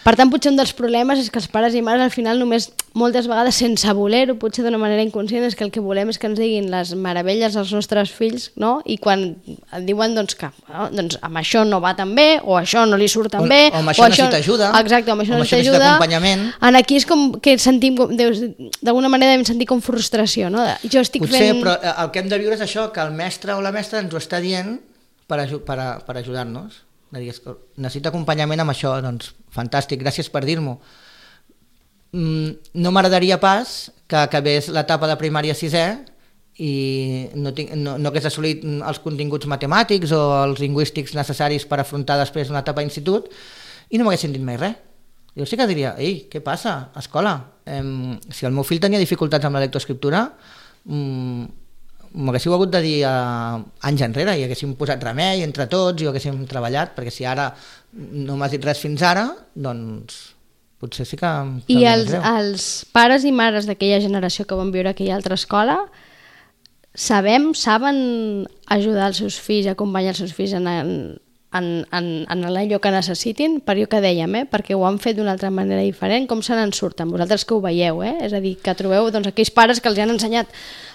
Per tant, potser un dels problemes és que els pares i mares al final només, moltes vegades sense voler-ho, potser d'una manera inconscient, és que el que volem és que ens diguin les meravelles als nostres fills, no? I quan et diuen que amb això no va tan bé, o això no li surt tan bé, o amb això necessita ajuda, exacte, amb això necessita acompanyament. Aquí és com que sentim, d'alguna manera devem sentir com frustració, no? Jo estic potser, però el que hem de viure és això, que el mestre o la mestra ens ho està dient per ajudar-nos. Necessito acompanyament amb això, doncs fantàstic, gràcies per dir-m'ho. No m'agradaria pas que acabés l'etapa de primària 6è i no hagués assolit els continguts matemàtics o els lingüístics necessaris per afrontar després una etapa d'institut i no m'haguessin dit mai res. Jo sí que diria, ei, què passa, escola? Si el meu fill tenia dificultats amb la lectoescriptura, m'haguéssiu hagut de dir anys enrere i haguéssim posat remei entre tots i ho haguéssim treballat, perquè si ara no m'has dit res fins ara, doncs potser sí que... I els pares i mares d'aquella generació que van viure a aquella altra escola saben ajudar els seus fills, acompanyar els seus fills en allò que necessitin, per allò que dèiem, perquè ho han fet d'una altra manera diferent, com se n'en surten, vosaltres que ho veieu, és a dir, que trobeu aquells pares que els han ensenyat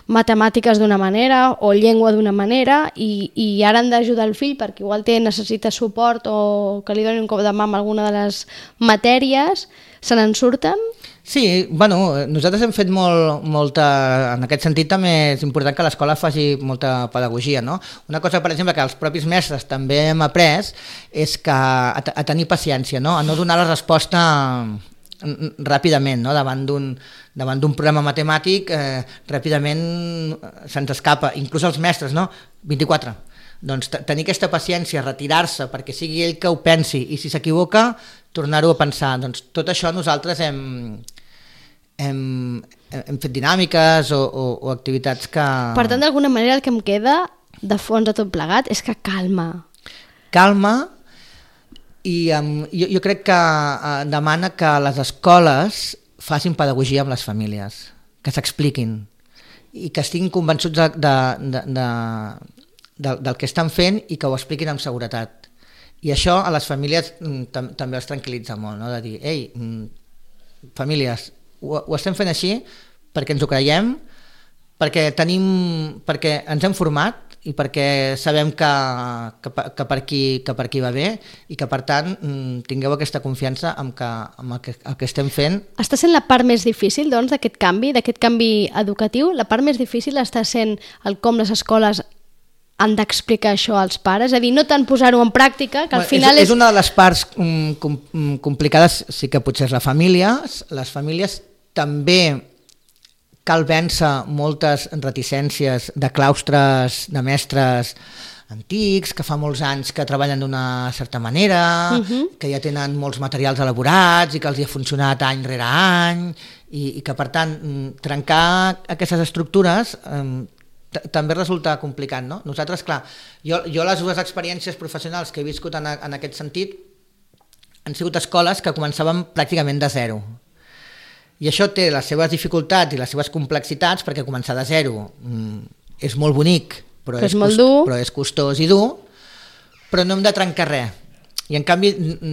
matemàtiques d'una manera o llengua d'una manera i ara han d'ajudar el fill perquè igual necessita suport o que li donin un cop de mà amb alguna de les matèries, se n'en surten? Sí, nosaltres hem fet molta... En aquest sentit també és important que l'escola faci molta pedagogia, no? Una cosa, per exemple, que els propis mestres també hem après és que a tenir paciència, no? A no donar la resposta ràpidament, no? Davant d'un problema matemàtic ràpidament se'ns escapa, inclús els mestres, no? 24. Doncs tenir aquesta paciència, retirar-se perquè sigui ell que ho pensi i si s'equivoca tornar-ho a pensar. Doncs tot això nosaltres hem fet dinàmiques o activitats que... Per tant, d'alguna manera el que em queda de fons de tot plegat és que calma i jo crec que demana que les escoles facin pedagogia amb les famílies, que s'expliquin i que estiguin convençuts del que estan fent i que ho expliquin amb seguretat. I això a les famílies també els tranquil·litza molt, no? De dir, ei, famílies, ho estem fent així perquè ens ho creiem, perquè ens hem format i perquè sabem que per aquí va bé i que per tant tingueu aquesta confiança amb el que estem fent. Està sent la part més difícil doncs d'aquest canvi educatiu? La part més difícil està sent el com les escoles han d'explicar això als pares? És a dir, no tant posar-ho en pràctica, que al final és una de les parts complicades, sí que potser és la família. Les famílies també cal vèncer moltes reticències de claustres, de mestres antics, que fa molts anys que treballen d'una certa manera, que ja tenen molts materials elaborats i que els hi ha funcionat any rere any, i que per tant trencar aquestes estructures també resulta complicat, no? Nosaltres, clar, jo les dues experiències professionals que he viscut en aquest sentit han sigut escoles que començaven pràcticament de zero. I això té les seves dificultats i les seves complexitats, perquè començar de zero és molt bonic, però és costós i dur, però no hem de trencar res. I en canvi,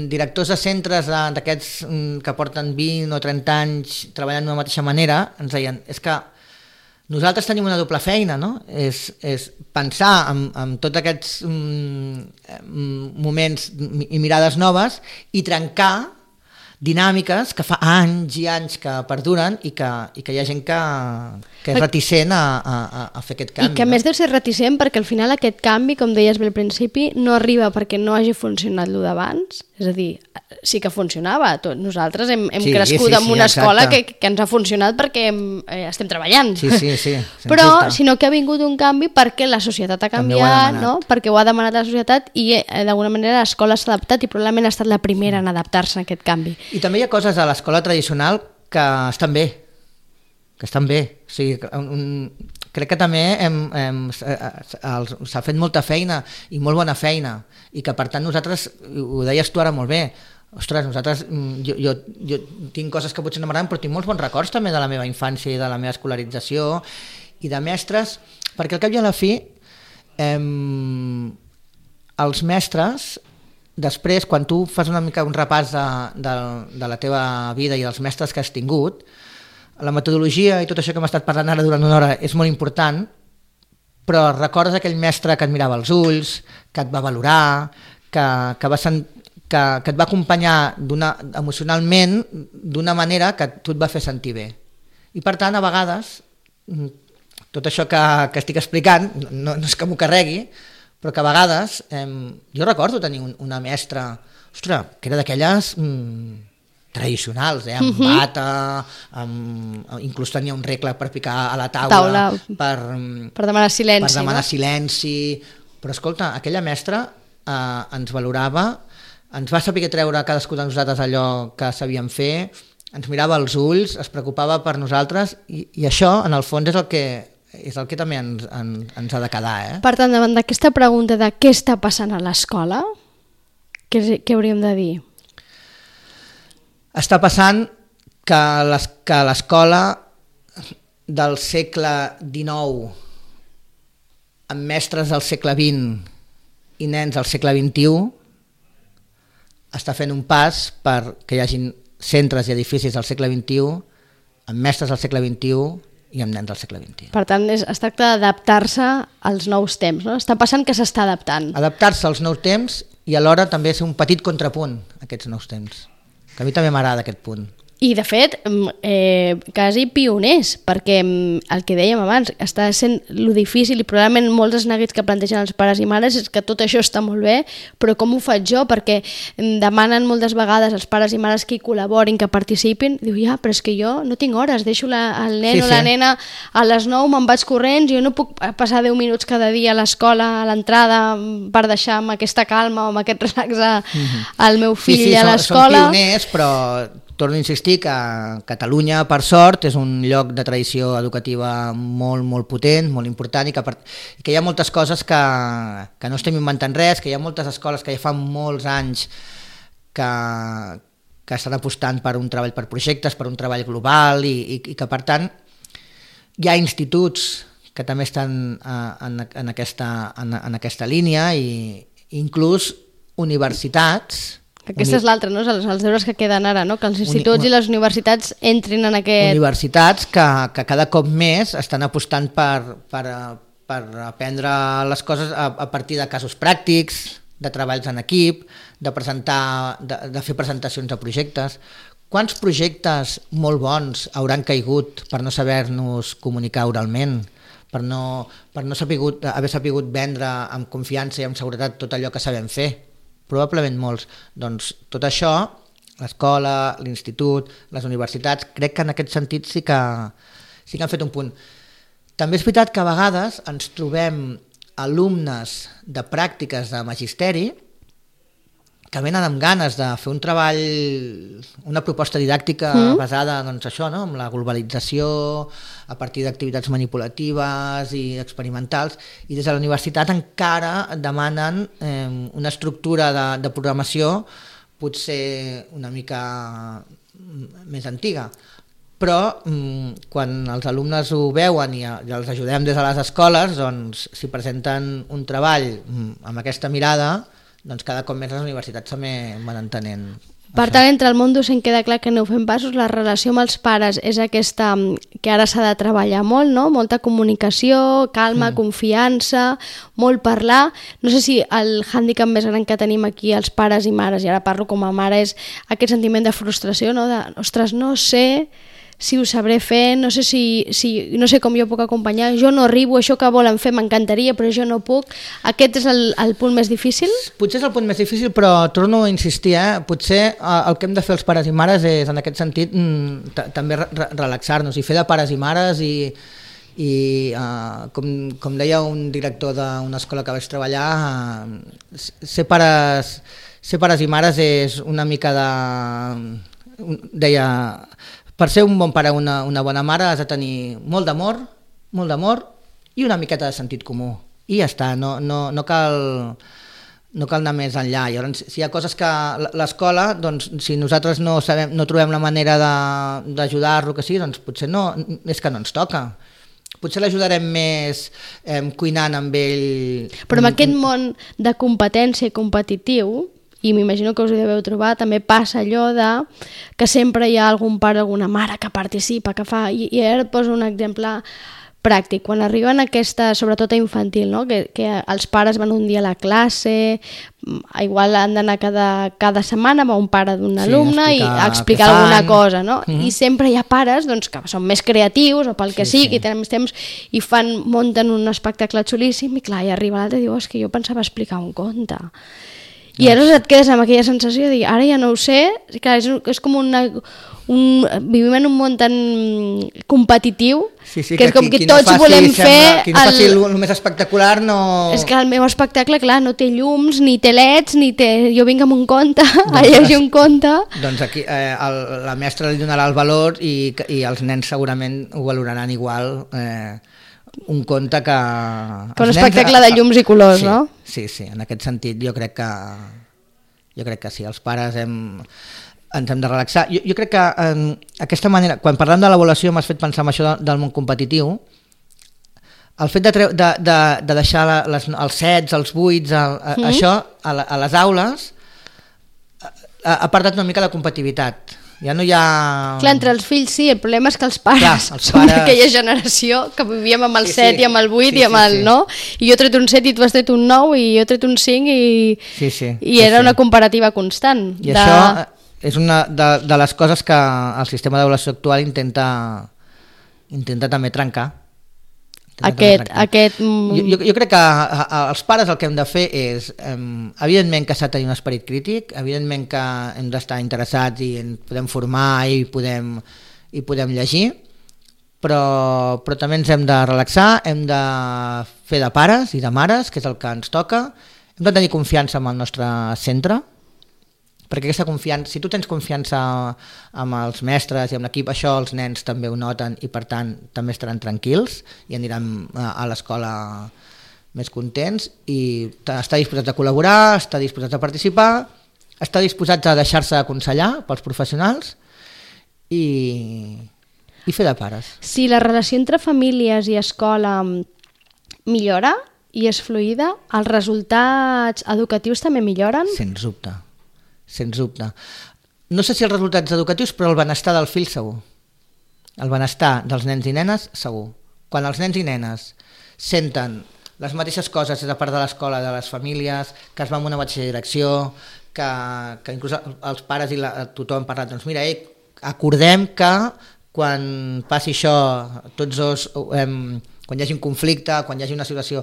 directors de centres d'aquests que porten 20 o 30 anys treballant d'una mateixa manera, ens deien, és que nosaltres tenim una doble feina, no? És pensar en tots aquests moments i mirades noves i trencar dinàmiques que fa anys i anys que perduren i que hi ha gent que és reticent a fer aquest canvi. I que a més deu ser reticent perquè al final aquest canvi, com deies bé al principi, no arriba perquè no hagi funcionat el d'abans. És a dir, sí que funcionava. Nosaltres hem crescut en una escola que ens ha funcionat perquè estem treballant. Sí. Però, sinó que ha vingut un canvi perquè la societat ha canviat, no? Perquè ho ha demanat la societat i d'alguna manera l'escola s'ha adaptat i probablement ha estat la primera en adaptar-se a aquest canvi. I també hi ha coses a l'escola tradicional que estan bé. O sigui, crec que també s'ha fet molta feina i molt bona feina i que per tant nosaltres, ho deies tu ara molt bé, ostres, nosaltres, jo tinc coses que potser no m'agraden, però tinc molts bons records també de la meva infància i de la meva escolarització i de mestres, perquè al cap i a la fi els mestres, després, quan tu fas una mica un repàs de la teva vida i dels mestres que has tingut, la metodologia i tot això que hem estat parlant ara durant una hora és molt important, però recordes aquell mestre que et mirava als ulls, que et va valorar, que et va acompanyar emocionalment d'una manera que tu et va fer sentir bé. I per tant, a vegades, tot això que estic explicant, no és que m'ho carregui, però que a vegades, jo recordo tenir una mestra, ostres, que era d'aquelles tradicionals, amb bata, inclús tenia un regle per picar a la taula per demanar silenci. Per demanar silenci. Però escolta, aquella mestra ens valorava, ens va saber treure a cadascú de nosaltres allò que sabíem fer, ens mirava als ulls, es preocupava per nosaltres i això, en el fons, és el que també ens ha de quedar. Per tant, davant d'aquesta pregunta de què està passant a l'escola, què hauríem de dir? Està passant que l'escola del segle XIX, amb mestres del segle XX i nens del segle XXI, està fent un pas perquè hi hagin centres i edificis del segle XXI amb mestres del segle XXI i amb nens del segle XXI. Per tant, es tracta d'adaptar-se als nous temps, no? Està passant que s'està adaptant. Adaptar-se als nous temps i alhora també ser un petit contrapunt a aquests nous temps. Que a mi també m'agrada aquest punt. I, de fet, quasi pioners, perquè el que dèiem abans, està sent lo difícil i probablement molts dels neguits que plantegen els pares i mares és que tot això està molt bé, però com ho faig jo? Perquè demanen moltes vegades els pares i mares que hi col·laborin, que participin, diu, ja, però és que jo no tinc hores, deixo el nen o la nena a les 9, me'n vaig corrents, jo no puc passar 10 minuts cada dia a l'escola, a l'entrada, per deixar amb aquesta calma o amb aquest relax al meu fill a l'escola. Són pioners, però torno a insistir que Catalunya, per sort, és un lloc de tradició educativa molt, molt potent, molt important, i que hi ha moltes coses que no estem inventant res, que hi ha moltes escoles que ja fa molts anys que estan apostant per un treball per projectes, per un treball global, i que, per tant, hi ha instituts que també estan en aquesta línia, i inclús universitats Aquesta és l'altra, no? Els deures que queden ara, no? Que els instituts i les universitats entrin en aquest... Universitats que cada cop més estan apostant per aprendre les coses a partir de casos pràctics, de treballs en equip, de fer presentacions de projectes. Quants projectes molt bons hauran caigut per no saber-nos comunicar oralment, per no haver sapigut vendre amb confiança i amb seguretat tot allò que sabem fer? Probablement molts. Doncs tot això, l'escola, l'institut, les universitats, crec que en aquest sentit sí que han fet un punt. També és veritat que a vegades ens trobem alumnes de pràctiques de magisteri que venen amb ganes de fer un treball, una proposta didàctica basada doncs, això, no? En la globalització, a partir d'activitats manipulatives i experimentals, i des de la universitat encara demanen una estructura de programació potser una mica més antiga. Però quan els alumnes ho veuen i els ajudem des de les escoles, doncs, si presenten un treball amb aquesta mirada, doncs cada cop més les universitats també van entenent. Per tant, entre el món docent queda clar que no ho fem passos, la relació amb els pares és aquesta que ara s'ha de treballar molt, no? Molta comunicació, calma, confiança, molt parlar. No sé si el hàndicap més gran que tenim aquí els pares i mares, i ara parlo com a mare, és aquest sentiment de frustració, no? De, ostres, no sé si ho sabré fer, no sé no sé com jo puc acompanyar, jo no arribo, això que volen fer m'encantaria, però jo no puc. Aquest és el punt més difícil? Potser és el punt més difícil, però torno a insistir, potser el que hem de fer els pares i mares és, en aquest sentit, també relaxar-nos i fer de pares i mares i com deia un director d'una escola que vaig treballar, ser pares i mares és una mica deia... Per ser un bon pare o una bona mare has de tenir molt d'amor i una miqueta de sentit comú. I ja està, no cal anar més enllà. Llavors, si hi ha coses que l'escola, doncs, si nosaltres no trobem la manera d'ajudar-lo que sí, doncs potser no, és que no ens toca. Potser l'ajudarem més cuinant amb ell. Però en aquest món de competència i competitiu, i m'imagino que us ho deveu trobar, també passa allò de que sempre hi ha algun pare, alguna mare que participa, que fa... I ara et poso un exemple pràctic. Quan arriben aquesta, sobretot a infantil, no? que els pares van un dia a la classe, igual han d'anar cada setmana amb un pare d'un alumne i explicar alguna cosa, no? I sempre hi ha pares doncs, que són més creatius o pel que sigui, i tenen més temps i munten un espectacle xulíssim i clar, i arriba l'altre i diu, és que jo pensava explicar un conte. I aleshores et quedes amb aquella sensació de dir, ara ja no ho sé, clar, és com vivim en un món tan competitiu que és com que tots volem fer... Qui no faci el més espectacular no... És que el meu espectacle, clar, no té llums, ni té leds, jo vinc amb un conte, a llegir un conte... Doncs aquí la mestra li donarà el valor i els nens segurament ho valoraran igual... un conte que un espectacle de llums i colors, no? Sí, en aquest sentit jo crec que sí, els pares ens hem de relaxar. Jo crec que aquesta manera, quan parlem de l'avaluació m'has fet pensar en això del món competitiu, el fet de deixar els 7, els 8, això a les aules ha perdut una mica la competitivitat. Ja no hi ha... Clar, entre els fills sí, el problema és que els pares són d'aquella generació que vivíem amb el 7 i amb el 8 i amb el 9, i jo he tret un 7 i tu has tret un 9 i jo he tret un 5 i era una comparativa constant. I això és una de les coses que el sistema d'avaluació actual intenta també trencar. Jo crec que els pares el que hem de fer és, evidentment que s'ha de tenir un esperit crític, evidentment que hem d'estar interessats i ens podem formar i podem llegir, però també ens hem de relaxar, hem de fer de pares i de mares, que és el que ens toca, hem de tenir confiança en el nostre centre, perquè aquesta confiança, si tu tens confiança amb els mestres i amb l'equip, això els nens també ho noten i per tant també estaran tranquils i aniran a l'escola més contents i està disposat a col·laborar, està disposat a participar, està disposat a deixar-se aconsellar pels professionals i fer de pares. Si la relació entre famílies i escola millora i és fluida, els resultats educatius també milloren? Sens dubte. sens dubte. No sé si els resultats educatius, però el benestar del fill segur. El benestar dels nens i nenes segur. Quan els nens i nenes senten les mateixes coses des de part de l'escola, de les famílies, que es va en una mateixa direcció, que inclús els pares i tothom han parlat, doncs mira, acordem que quan passi això, tots dos, quan hi hagi un conflicte, quan hi hagi una situació,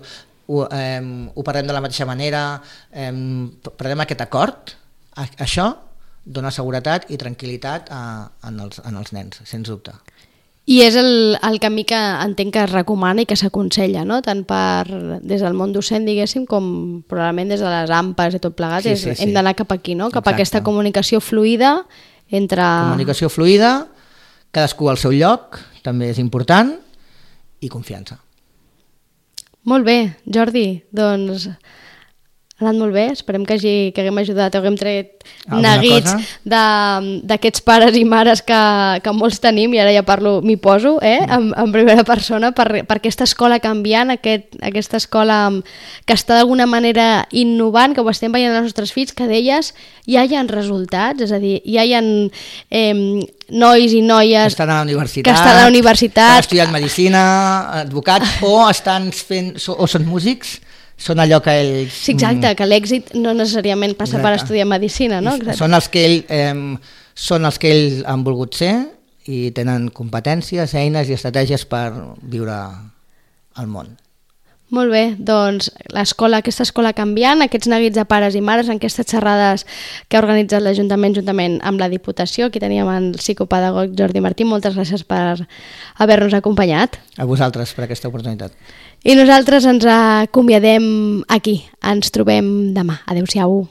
ho parlem de la mateixa manera, prenem aquest acord, això dona seguretat i tranquil·litat en els nens, sens dubte. I és el camí que entenc que es recomana i que s'aconsella, no? Tant des del món docent, diguéssim, com probablement des de les AMPAs i tot plegat. Sí. Hem d'anar cap aquí, no? Cap a aquesta comunicació fluida entre... Comunicació fluida, cadascú al seu lloc, també és important, i confiança. Molt bé, Jordi, doncs... Ha anat molt bé, esperem que haguem ajudat, haguem tret neguits d'aquests pares i mares que molts tenim, i ara ja parlo, m'hi poso, en primera persona, per aquesta escola canviant, aquesta escola que està d'alguna manera innovant, que ho estem veient els nostres fills, que d'elles ja hi ha resultats, és a dir, ja hi ha nois i noies que estan a la universitat, que han estudiat medicina, advocats, o estan fent, o són músics, són allò que ells... Sí, exacte, que l'èxit no necessàriament passa per estudiar medicina, no? Són els que ells han volgut ser i tenen competències, eines i estratègies per viure al món. Molt bé, doncs aquesta escola canviant, aquests neguits de pares i mares, en aquestes xerrades que ha organitzat l'Ajuntament juntament amb la Diputació. Aquí teníem el psicopedagog Jordi Martí, moltes gràcies per haver-nos acompanyat. A vosaltres per aquesta oportunitat. I nosaltres ens acomiadem aquí, ens trobem demà. Adéu-siau.